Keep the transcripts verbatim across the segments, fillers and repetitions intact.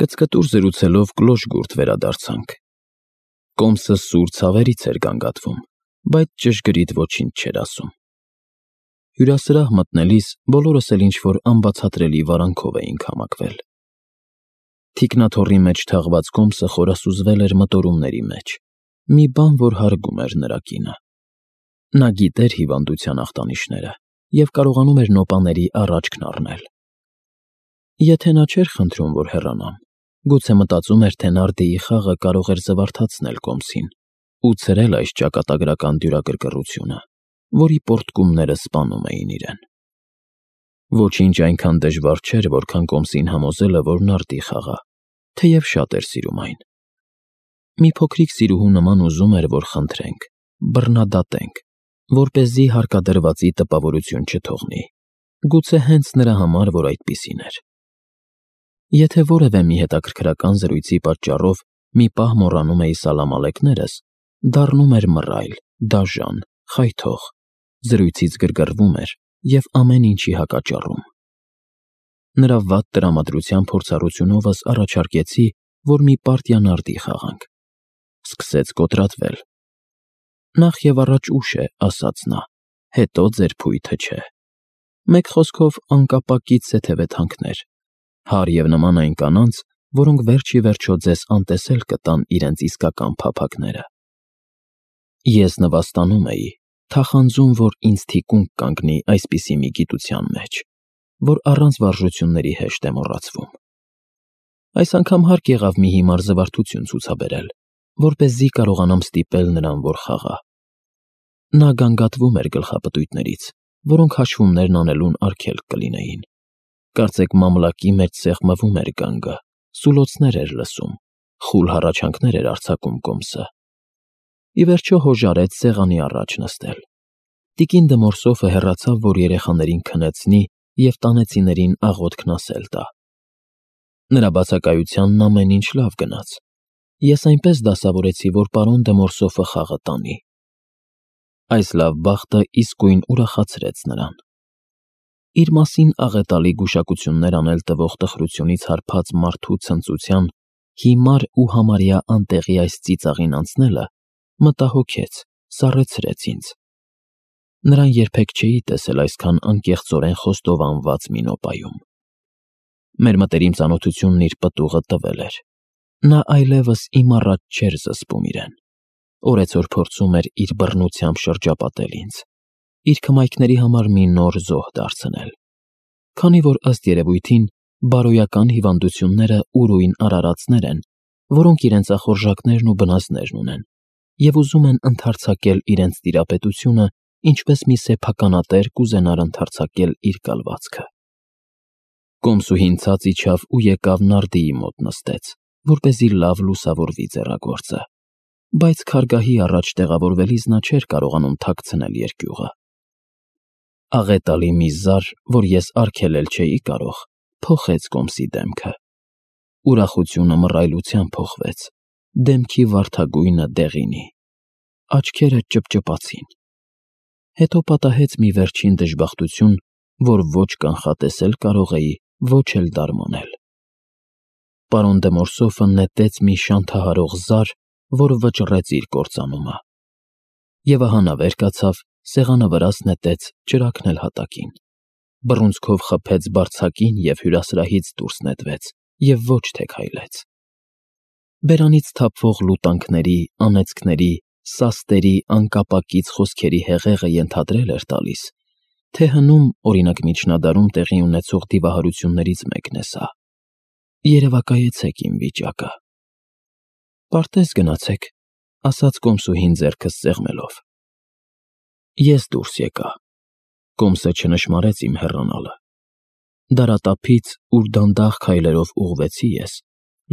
Կծկտուր զրուցելով կլոր-գուրդ վերադարձանք։ Կոմսը սուր ցավերից էր գանգատվում, բայց ճշգրիտ ոչինչ չէր ասում։ Հյուրասրահ մտնելիս բոլորս էլ ինչ-որ անբացատրելի վարանքով էինք համակվել։ Թիկնաթոռի մեջ թաղված Կոմսը խորասուզվել էր մտորումների մեջ, մի բան, որ հարգում էր նրա կինը։ Նա գիտեր հիվանդության ախտանիշները և կարողանում էր նոպաների առաջքն առնել։ Եթե նա չէր խնդրում, որ հեռանամ, գուցե մտածում էր, թե նարդիի խաղը կարող էր զվարթացնել Կոմսին ու ցրել այս ճակատագրական դյուրակրկռությունը, որի պոռթկումները սպանում էին իրեն։ Ոչինչ այնքան դժվար չէր, որքան Կոմսին համոզելը, որ նարդի խաղա, թեև շատ էր սիրում այն։ Մի փոքրիկ սիրուհու նման ուզում էր, որ խնդրենք, բռնադատենք, որպեսզի հարկադրվածի տպավորություն չթողնի, գուցե հենց նրա համար, որ այդպիսին էր։ Եթե որևէ մի հետաքրքրական զրույցի պատճառով մի պահ մոռանում էի սալամ ալեքներս, դառնում էր մռայլ, դաժան, խայթող, զրույցից գրգռվում էր և ամեն ինչի հակաճառում։ Նրա վատ տրամադրության փորձառությունովս առաջարկեցի, որ մի պարտիա նարդի խաղանք։ Սկսեց կոտրատվել։ Նախ և առաջ ուշ է, ասաց նա, հետո ձեր փույթը չէ։ Մեկ խոսքով անկապակից սեթևեթանքներ, հարև և նման այն կանանց, որոնք վերջ ի վերջո ձեզ անտեսել կտան իրենց իսկական փափագները։ Ես նվաստանում էի, թախանձում, որ ինձ թիկունք կանգնի այսպիսի մի գիտության մեջ, որ առանց վարժությունների հեշտ է մոռացվում։ Այս անգամ հարկ եղավ մի հիմար զվարթություն ցուցաբերել, որպեսզի կարողանամ ստիպել նրան, որ խաղա։ Նա գանգատվում էր գլխապտույտներից, որոնք հաշվումներն անելուն արգելք կլինեին։ Կարծեք մամլակի մեջ սեղմվում էր գանգը, սուլոցներ էր լսում, խուլ հառաչանքներ էր արձակում Կոմսը։ Ի վերջո հոժարեց սեղանի առաջ նստել։ Տիկին Դմորսոֆը հեռացավ, որ երեխաներին քնեցնի և տանեցիներին աղոթքն ասել տա։ Նրա բացակայությանն ամեն ինչ լավ գնաց։ Ես այնպես դասավորեցի, որ պարոն Դմորսոֆը խաղը տանի։ Այս լավ բախտը իսկույն ուրախացրեց նրան։ Իր մասին աղետալի գուշակություններ անել տվող տխրությունից հարբած մարդու ցնծության հիմար ու համարյա անտեղի այս ծիծաղին անցնելը մտահոգեց, սառեցրեց ինձ։ Նրան երբեք չէի տեսել այսքան անկեղծորեն խոստովանված մի նոպայում։ Մեր մտերիմ ծանոթությունն իր պտուղը տվել էր։ Նա այլևս իմ առաջ չէր զսպում իրեն։ Օրեցօր փորձում էր իր բռնությամբ շրջապատել ինձ, իր քմայքների համար մի նոր զոհ դարձնել։ Քանի որ ըստ երևույթին բարոյական հիվանդությունները ուրույն արարածներ են, որոնք իրենց ախորժակներն ու բնազդներն ունեն, և ուզում են ընդարձակել իրենց տիրապետությունը, ինչպես մի սեփականատեր կուզենար ընդարձակել իր կալվածքը։ Կոմսուհին ցած իջավ ու եկավ նարդիի մոտ նստեց, որպեսզի լավ լուսավորվի ձեռագործը, բայց քարգահի առաջ տեղավորվելիս նա չէր կարողանում թաքցնել երկյուղը։ Աղետալի մի զար, որ ես արգելել չէի կարող, փոխեց Կոմսի դեմքը։ Ուրախությունը մռայլության փոխվեց, դեմքի վարդագույնը դեղինի, աչքերը ճպճպացին։ Հետո պատահեց մի վերջին դժբախտություն, որ ոչ կանխատեսել կարող էի, ոչ էլ դարմանել։ Պարոն Դմորսոֆը նետեց մի շանթահարող զար, որ վճռեց իր կործանումը։ Եվ ահա նա վեր կացավ, սեղանը վրաս նետեց, ճրագն էլ հատակին, բռունցքով խփեց բարձակին և հյուրասրահից դուրս նետվեց և ոչ թե քայլեց։ Բերանից թափվող լուտանքների, անեծքների, սաստերի, անկապակից խոսքերի հեղեղը ենթադրել էր տալիս, թե հնում, օրինակ միջնադարում տեղի ունեցող դիվահարություններից մեկն է սա։ Երևակայեցեք իմ վիճակը։ Պարտեզ գնացեք, ասաց Կոմսուհին ձեռքս սեղմելով։ Ես դուրս եկա։ Կոմսը չնշմարեց իմ հեռանալը։ Դարատափից, ուր դանդաղ քայլերով ուղղվեցի ես,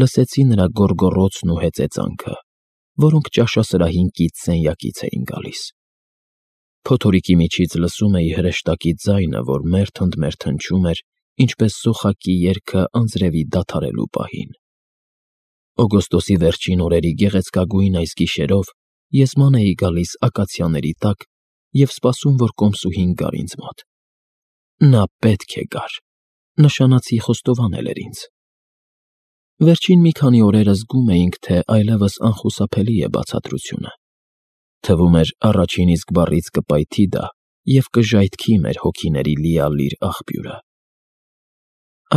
լսեցի նրա գոռգոռոցն ու հեծեծանքը, որոնք ճաշասրահին կից սենյակից էին գալիս։ Փոթորիկի միջից լսում էի հրեշտակի ձայնը, որ մերթ-ընդմերթ հնչում էր, ինչպես սոխակի երգը անձրևի դադարելու պահին։ Օգոստոսի վերջին օրերի գեղեցկագույն այս գիշերով ես ման էի գալիս ակացիաների տակ և սպասում, որ Կոմսուհին գար ինձ մոտ։ Նա պետք է գար, նշանացի խոստովանել էր ինձ։ Վերջին մի քանի օրերը զգում էինք, թե այլևս անխուսափելի է բացատրությունը։ Թվում էր առաջին իսկ բառից կպայթի դա և կժայթքի մեր հոգիների լիալիր աղբյուրը։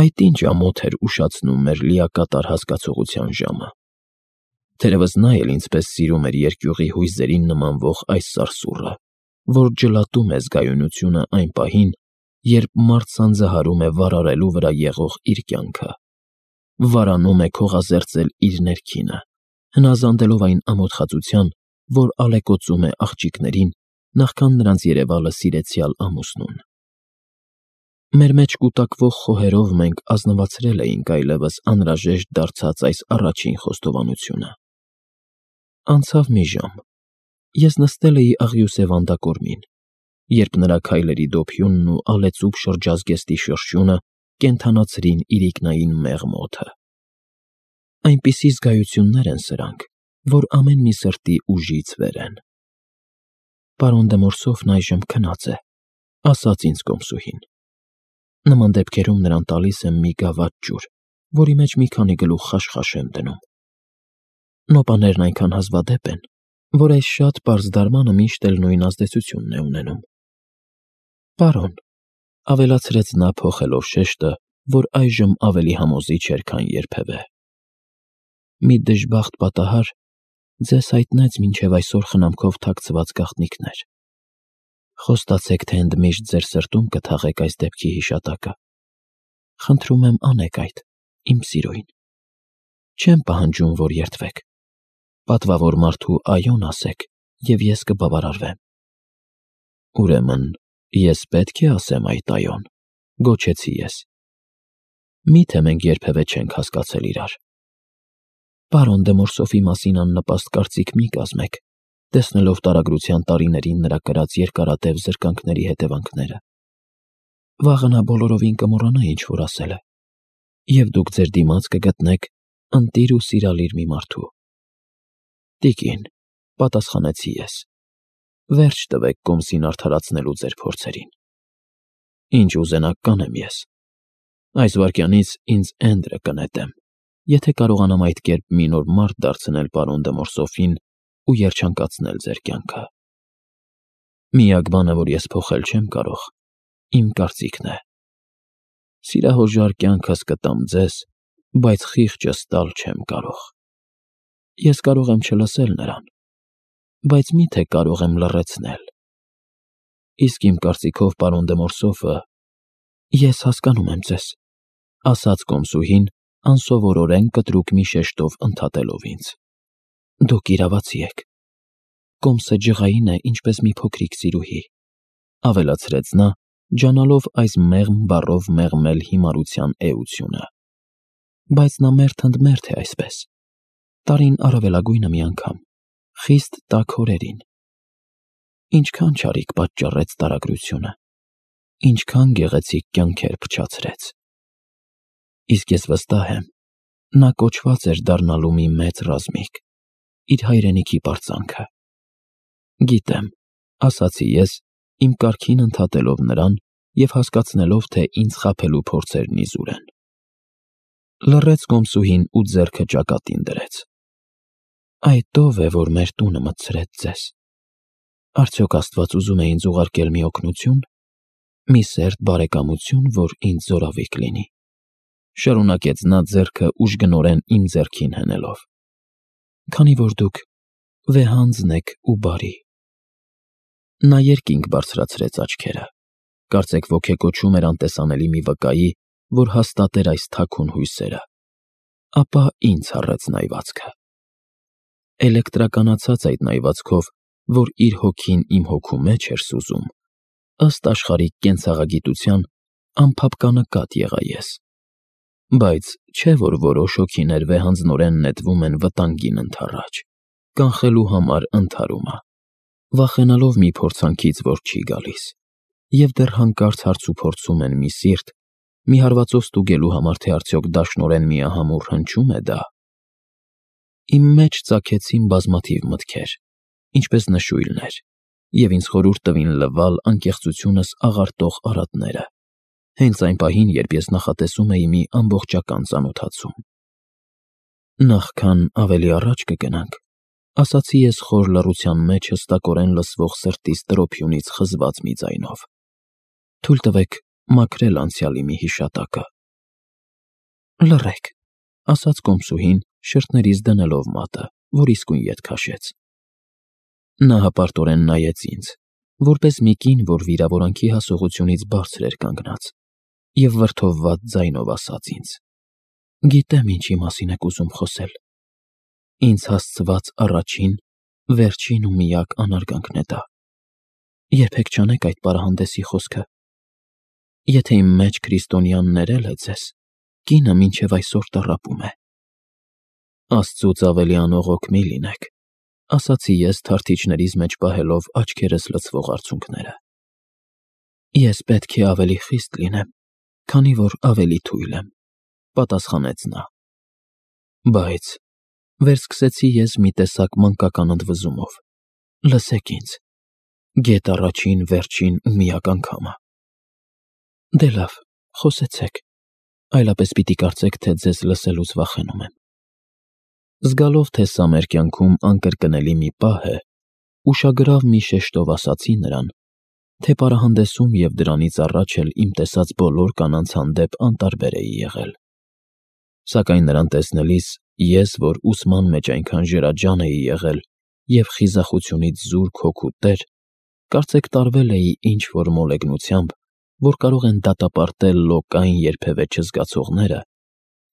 Այդ ինչ ամոթ էր ուշացնում մեր լիակատար հասկացողության ժամը։ Թերևս նա էլ ինձպես սիրում էր երկյուղի հույզերին նմանվող այս սարսուռը, որ ջլատում է զգայունությունը այն պահին, երբ մարդ սանձահարում է վարարելու վրա եղող իր կյանքը, վարանում է քողազերծել իր ներքինը, հնազանդելով այն ամոթխածության, որ ալեկոծում է աղջիկներին, նախքան նրանց երևալը սիրեցյալ ամուսնուն։ Մեր մեջ կուտակվող խոհերով մենք ազնվացրել էինք այլևս անհրաժեշտ դարձած այս առաջին խոստովանությունը։ Անցավ մի ժամ, ես նստել էի աղյուսե վանդակորմին, երբ նրա քայլերի դոփյունն ու ալեծուկ շրջազգեստի շրշյունը կենդանացրին իրիկնային մեղմ օդը։ Այնպիսի զգայություններ են սրանք, որ ամեն մի սրտի ուժից վեր են։ Պարոն դե Մորսոֆն այժմ քնած է, ասաց ինձ կոմսուհին։ Նման դեպքերում նրան տալիս եմ մի գավաթ ջուր, որի մեջ մի քանի գլուխ խաշխաշ եմ դնում։ Նոպաներն այնքան հազվադեպ են, որ այս շատ պարզ դարմանը միշտ էլ նույն ազդեցությունն է ունենում։ Պարոն, ավելացրեց նա փոխելով շեշտը, որ այժմ ավելի համոզիչ էր, քան երբևէ։ Մի դժբախտ պատահար ձեզ հայտնեց մինչև այսօր խնամքով թաքցված գաղտնիքներ։ Խոստացեք, թե ընդմիշտ ձեր սրտում կթաղեք այս դեպքի հիշատակը։ Խնդրում եմ, անեք այդ, իմ սիրուն։ Չեմ պահանջում, որ երդվեք։ Պատվավոր մարդու այոն ասեք, և ես կբավարարվեմ։ Ուրեմն, ես պետք է ասեմ այդ այոն, գոչեցի ես։ Մի՞թե մենք երբևէ չենք հասկացել իրար։ Պարոն դե Մորսոֆի մասին աննպաստ կարծիք մի կազմեք, տեսնելով տարագրության տարիներին նրա կրած երկարատև զրկանքների հետևանքները։ Վաղը նա բոլորովին կմոռանա ինչ որ ասել է, և դուք ձեր դիմաց կգտնեք ընտիր ու սիրալիր մի մարդու։ Տիկին, պատասխանեցի ես, վերջ տվեք կոմսին արդարացնելու ձեր փորձերին։ Ինչ ուզենաք կանեմ ես։ Այս վայրկյանից ինձ Էնդրը կնետեմ, եթե կարողանամ այդ կերպ մի նոր մարդ դարձնել պարոն դե Մորսոֆին ու երջանկացնել ձեր կյանքը։ Միակ բանը, որ ես փոխել չեմ կարող, իմ կարծիքն է։ Սիրահորժար կյանքս կտամ ձեզ, բայց խիղճս տալ չեմ կարող։ Ես կարող եմ չլսել նրան, բայց մի՞թե կարող եմ լռեցնել։ Իսկ իմ կարծիքով պարոն դե Մորսոֆը… Ես հասկանում եմ ձեզ, ասաց կոմսուհին, անսովորորեն կտրուկ մի շեշտով ընդհատելով ինձ։ Դուք իրավացի եք։ Կոմսը ջղային է, ինչպես մի փոքրիկ սիրուհի, ավելացրեց նա, ջանալով այս մեղմ բառով մեղմել հիմարության էությունը։ Բայց նա մերթ ընդ մերթ է այսպես։ Տարին առավելագույնը մի անգամ, խիստ տաք օրերին։ Ինչքան չարիք պատճառեց տարագրությունը, ինչքան գեղեցիկ կյանքեր փչացրեց։ Իսկ ես վստահ եմ, նա կոչված էր դառնալու մի մեծ ռազմիկ, իր հայրենիքի պարծանքը։ Գիտեմ, ասացի ես, իմ կարգին ընդհատելով նրան և հասկացնելով, թե ինձ խաբելու փորձերն իզուր են։ Լռեց կոմսուհին ու ձեռքը ճակատին դրեց։ Այդ ո՞վ է, որ մեր տունը մտցրեց ձեզ։ Արդյոք Աստված ուզում է ինձ ուղարկել մի օգնություն, մի սերտ բարեկամություն, որ ինձ զորավիք լինի։ Շարունակեց նա ձեռքը ուժգնորեն իմ ձեռքին հենելով։ Քանի որ դուք վեհանձն եք ու բարի։ Նա երկինք բարձրացրեց աչքերը, կարծեք ոգեկոչում էր անտեսանելի մի վկայի, որ հաստատեր այս թաքուն հույսերը, ապա ինձ հառեց նայվածքը։ Էլեկտրականացած այդ նայվածքով, որ իր հոգին իմ հոգու մեջ էր սուզում, ըստ աշխարհիկ կենցաղագիտության, անփափկանկատ եղա ես։ Բայց չէ՞ որ որոշ հոգիներ վեհանձնորեն նետվում են վտանգին ընդառաջ, կանխելու համար ընդհարումը, վախենալով մի փորձանքից, որ չի գալիս, և դեռ հանկարծ հարցուփորձում են մի սիրտ, մի հարվածով ստուգելու համար, թե արդյոք դաշնորեն միահամուռ հնչում է դա։ Իմ մեջ ծագեցին բազմաթիվ մտքեր, ինչպես նշույլներ, և ինձ խորհուրդ տվին լվալ անկեղծությունս աղարտող արատները, հենց այն պահին, երբ ես նախատեսում էի մի ամբողջական ծանոթացում։ Նախքան ավելի առաջ կգնանք, ասացի ես խոր լռության մեջ հստակորեն լսվող սրտիս տրոփյունից խզված մի ձայնով. թույլ տվեք մաքրել անցյալի մի հիշատակը։ Լռեք, ասաց կոմսուհին, շրթներիս դնելով մատը, որ իսկույն ետ քաշեց։ Նա հպարտորեն նայեց ինձ, որպես մի կին, որ վիրավորանքի հասողությունից բարձր էր կանգնած, և վրդովված ձայնով ասաց ինձ. Գիտեմ ինչի մասին եք ուզում խոսել։ Ինձ հասցված առաջին, վերջին ու միակ անարգանքն է դա։ Երբեք չանեք այդ պարահանդեսի խոսքը։ Եթե իմ մեջ քրիստոնյան ներել է ձեզ, կինը մինչև այսօր տառապում է։ Աստծուց ավելի անողոք մի լինեք, ասացի ես թարթիչներիս մեջ պահելով աչքերս լցվող արցունքները։ Ես պետք է ավելի խիստ լինեմ, քանի որ ավելի թույլ եմ, պատասխանեց նա։ Բայց վերսկսեցի ես մի տեսակ մանկական ընդվզումով։ Լսեք ինձ, գեթ առաջին, վերջին ու միակ անգամը։ Դե լավ, խոսեցեք, այլապես պիտի կարծեք, թե ձեզ լսելուց վախենում եմ։ Զգալով, թե սա մեր կյանքում անկրկնելի մի պահ է, ուշագրավ մի շեշտով ասացի նրան, թե պարահանդեսում և դրանից առաջ էլ իմ տեսած բոլոր կանանց հանդեպ անտարբեր էի եղել։ Սակայն նրան տեսնելիս ես, որ ուսման մեջ այնքան ժերաջան էի եղել և խիզախությունից զուրկ հոգու տեր, կարծեք տարվել էի ինչ-որ մոլեգնությամբ, որ կարող են դատապարտել լոկային երբևէ չզգացողները,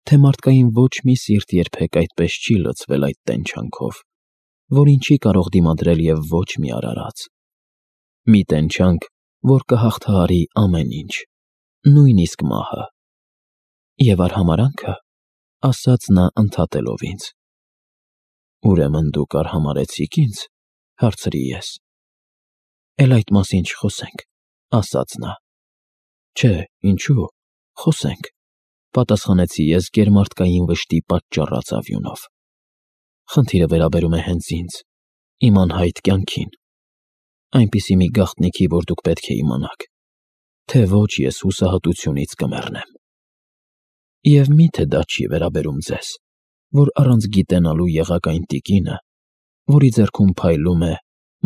թե մարդկային ոչ մի սիրտ երբեք այդպես չի լցվել այդ տենչանքով, որին չի կարող դիմադրել և ոչ մի արարած։ Մի տենչանք, որ կհաղթահարի ամեն ինչ, նույնիսկ մահը։ Եվ արհամարհանքը, ասաց նա ընդհատելով ինձ։ Ուրեմն դուք արհամարհեցիք ինձ, հարցրի ես։ Էլ այդ մասին չխոսենք, ասաց նա։ Չէ, ինչու, խոսենք, պատասխանեցի ես գերմարդկային վշտի պատճառած ավյունով։ Խնդիրը վերաբերում է հենց ինձ, իմ անհայտ կյանքին, այնպիսի մի գաղտնիքի, որ դուք պետք է իմանաք, թե ոչ ես հուսահատությունից կմեռնեմ։ Եվ միթե դա չի վերաբերում ձեզ, որ առանց գիտենալու եղաք այն տիկինը, որի ձեռքում փայլում է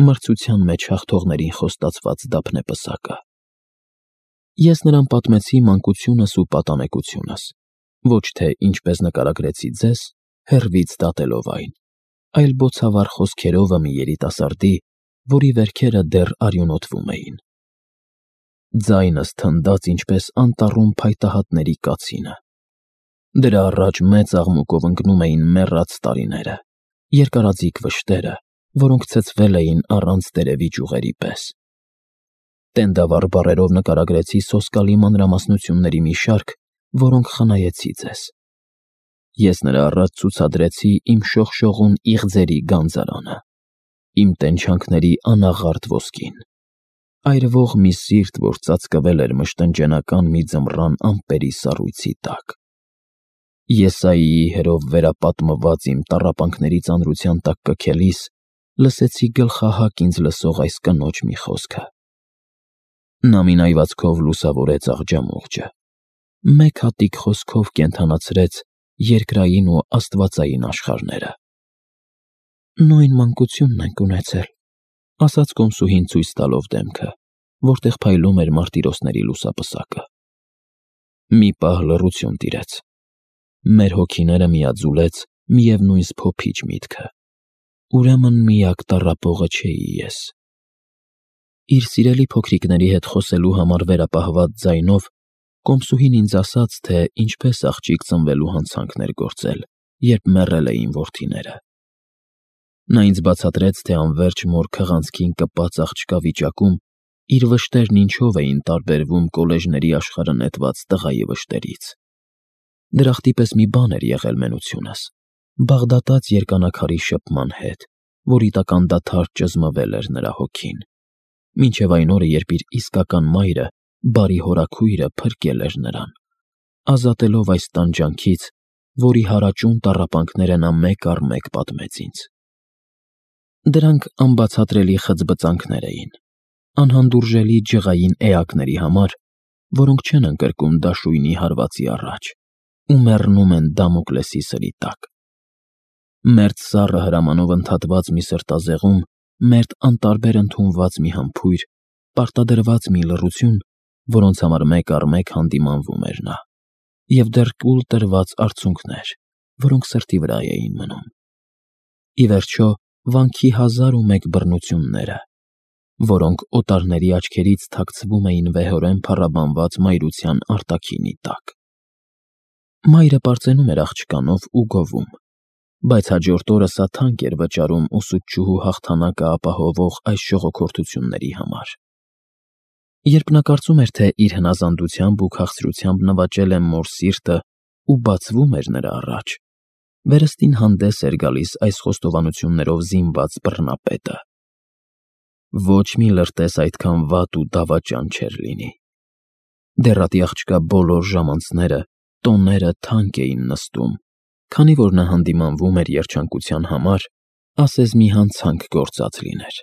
մրցության մեջ հաղթողներին խոստացված դափնեպսակը։ Ես նրան պատմեցի մանկությունս ու պատանեկությունս, ոչ թե ինչպես նկարագրեցի ձեզ, հեռվից դատելով այն, այլ բոցավառ խոսքերովը մի երիտասարդի, որի վերքերը դեռ արյունոտվում էին։ Ձայնս թնդաց ինչպես անտառում փայտահատների կացինը։ Դրա առաջ մեծ աղմուկով ընկնում էին մեռած տարիները, երկարաձիգ վշտերը, որոնք ցցվել էին առանց տերևի ճյուղերի պես։ Տենդավառ բառերով նկարագրեցի սոսկալի մանրամասնությունների մի շարք, որոնք խնայեցի ձեզ։ Ես նրա առաջ ցուցադրեցի իմ շողշողուն իղձերի գանձարանը, իմ տենչանքների անաղարտ ոսկին, այրվող մի սիրտ, որ ծածկվել էր մշտնջենական մի ձմռան ամպերի սառույցի տակ։ Եսայիի հերով վերապատմված իմ տառապանքների ծանրության տակ կքելիս, լսեցի գլխահակ ինձ լսող այս կնոջ մի խոսքը։ Նա մի նայվածքով լուսավորեց աղջամուղջը, մեկ հատիկ խոսքով կենդանացրեց երկրային ու աստվածային աշխարհները։ Նույն մանկությունն ենք ունեցել, ասաց կոմսուհին ցույց տալով դեմքը, որտեղ փայլում էր մարտիրոսների լուսապսակը։ Մի պահ լռություն տիրեց։ Մեր հոգիները միաձուլեց միևնույն սփոփիչ միտքը. ուրեմն միակ տառապողը չէի ես։ Իր սիրելի փոքրիկների հետ խոսելու համար վերապահված ձայնով կոմսուհին ինձ ասաց, թե ինչպես աղջիկ ծնվելու հանցանքներ գործել, երբ մեռել էին որդիները։ Նա ինձ բացատրեց, թե անվերջ մոր քղանցքին կպած աղջկա վիճակում իր վշտերն ինչով էին տարբերվում կոլեժների աշխարհը նետված տղայի վշտերից։ Դրախտի պես մի բան էր եղել մենությունս, բաղդատած երկանաքարի շփման հետ, որի տակ անդադար ճզմվել էր նրա հոգին, մինչև այն օրը, երբ իր իսկական մայրը, բարի հորաքույրը փրկել էր նրան, ազատելով այս տանջանքից, որի հարաճուն տառապանքները նա մեկ առ մեկ պատմեց ինձ։ Դրանք անբացատրելի խծբծանքներ էին, անհանդուրժելի ջղային էակների համար, որոնք չեն ընկրկում դաշույնի հարվածի առաջ ու մեռնում են Դամոկլեսի սրի տակ։ Մերթ սառը հրամանով ընդհատված մի սրտազեղում, մերթ անտարբեր ընդունված մի համբույր, պարտադրված մի լռություն, որոնց համար մեկ առ մեկ հանդիմանվում էր նա, և դեռ կուլ տրված արցունքներ, որոնք սրտի վրա էին մնում։ Ի վերջո, վանքի հազար ու մեկ բռնությունները, որոնք օտարների աչքերից թաքցվում էին վեհորեն փառաբանված մայրության արտաքինի տակ։ Մայրը պարծենում էր աղջկանով ու գովում, բայց հաջորդ օրը սա թանկ էր վճարում ուսուցչուհու հաղթանակը ապահովող այս ժողոքորթությունների համար։ Երբ նա կարծում էր, թե իր հնազանդությամբ ու քաղցրությամբ նվաճել է մոր սիրտը ու բացվում էր նրա առաջ, վերստին հանդես էր գալիս այս խոստովանություններով զինված բռնապետը։ Ոչ մի լրտես այդքան վատ ու դավաճան չէր լինի։ Դեռատի աղջկա բոլոր ժամանցները, տոները թանկ էին նստում, քանի որ նա հանդիմանվում էր երջանկության համար, ասես մի հանցանք գործած լիներ։